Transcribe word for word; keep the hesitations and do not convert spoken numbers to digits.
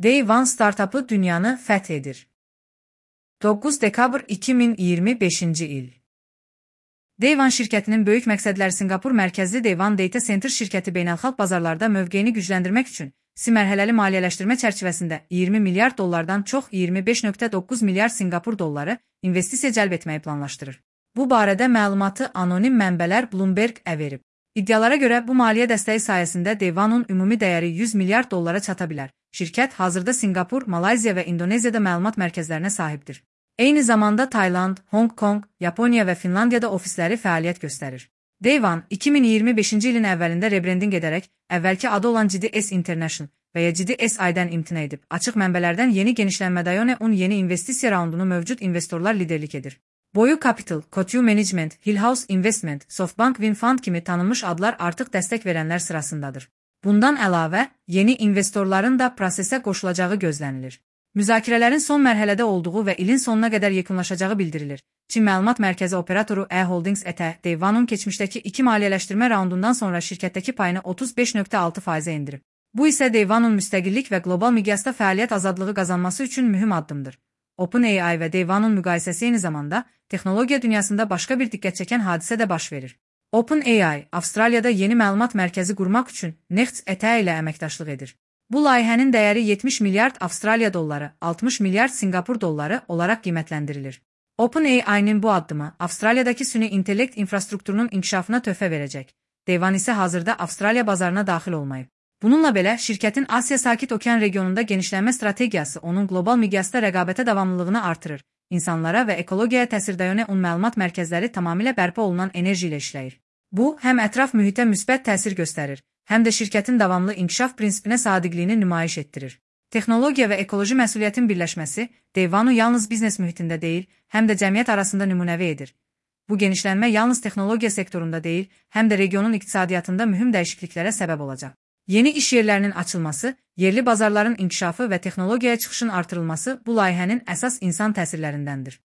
Day One startupı dünyanı fəth edir. doqquz dekabr iki min iyirmi beşinci il. Day One şirkətinin böyük məqsədləri Sinqapur mərkəzli Day One Data Center şirkəti beynəlxalq bazarlarda mövqeyini gücləndirmək üçün si mərhələli maliyyələşdirmə çərçivəsində iyirmi milyard dollardan çox iyirmi beş nöqtə doqquz milyard Sinqapur dolları investisiya cəlb etməyi planlaşdırır. Bu barədə məlumatı anonim mənbələr Bloomberg-ə verib. İddialara görə bu maliyyə dəstəyi sayəsində Day One-un ümumi dəyəri yüz milyard dollara çata bilər. Şirkət hazırda Sinqapur, Malayziya və İndoneziyada məlumat mərkəzlərinə sahibdir. Eyni zamanda Tayland, Hong Kong, Yaponiya və Finlandiyada ofisləri fəaliyyət göstərir. Day One iki min iyirmi beşinci ilin əvvəlində rebrendinq edərək əvvəlki adı olan G D S International və ya G D S I-dən imtina edib. Açıq mənbələrdən yeni genişlənmə Dayone Un yeni investisiya raundunu mövcud investorlar liderlik edir. Boyu Capital, Coatue Management, Hillhouse Investment, Softbank Winfund kimi tanınmış adlar artıq dəstək verənlər sırasındadır. Bundan əlavə, yeni investorların da prosesə qoşulacağı gözlənilir. Müzakirələrin son mərhələdə olduğu və ilin sonuna qədər yekunlaşacağı bildirilir. Çin Məlumat Mərkəzi operatoru E Holdings E T A, Day One-un keçmişdəki iki maliyyələşdirmə raundundan sonra şirkətdəki payını otuz beş nöqtə altı faizə endirib. Bu isə Day One-un müstəqillik və qlobal miqyasda fəaliyyət azadlığı qazanması üçün mühüm addımdır. OpenAI və Day One-un müqayisəsi eyni zamanda texnologiya dünyasında başqa bir diqqət çəkən hadisə də baş verir. OpenAI, Avstraliyada yeni məlumat mərkəzi qurmaq üçün Next E T A ilə əməkdaşlıq edir. Bu layihənin dəyəri yetmiş milyard Avstraliya dolları, altmış milyard Sinqapur dolları olaraq qiymətləndirilir. OpenAI-nin bu addımı Avstraliyadakı süni intellekt infrastrukturunun inkişafına töhfə verəcək. Day One isə hazırda Avstraliya bazarına daxil olmayıb. Bununla belə, şirkətin Asiya Sakit Okean regionunda genişlənmə strategiyası onun qlobal miqyasda rəqabətə davamlılığını artırır. İnsanlara və ekologiyaya təsir Dayone Un məlumat mərkəzləri tamamilə bərpa olunan enerji ilə işləyir. Bu, həm ətraf mühitə müsbət təsir göstərir, həm də şirkətin davamlı inkişaf prinsipinə sadiqliyini nümayiş etdirir. Texnologiya və ekoloji məsuliyyətin birləşməsi Day One-u yalnız biznes mühitində deyil, həm də cəmiyyət arasında nümunəvi edir. Bu genişlənmə yalnız texnologiya sektorunda deyil, həm də regionun iqtisadiyyatında mühüm dəyişikliklərə səbəb olacaq. Yeni iş yerlərinin açılması, yerli bazarların inkişafı və texnologiyaya çıxışın artırılması bu layihənin əsas insan təsirlərindəndir.